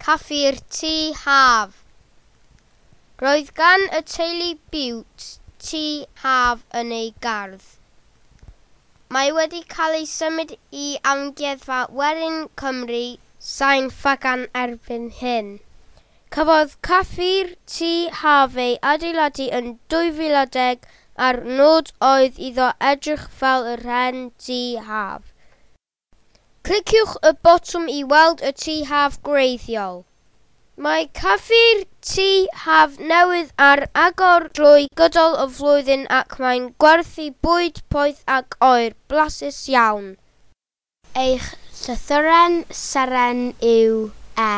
Caffi'r Tŷ Haf. Roedd gan y teulu Bute tŷ haf yn ei gardd. Mae wedi cael ei symud i Amgueddfa Werin Cymru, Sain Ffagan erbyn hyn. Cafodd Caffi'r Tŷ Haf ei adeiladu yn 2010 a'r nod oedd iddo edrych fel yr hen dŷ haf. Cliciwch y botwm i weld y tŷ haf gwreiddiol. Mae Caffi'r Tŷ Haf newydd ar agor drwy gydol y flwyddyn ac mae'n gwerthu bwyd poeth ac oer blasus iawn. Eich llythyren seren yw E.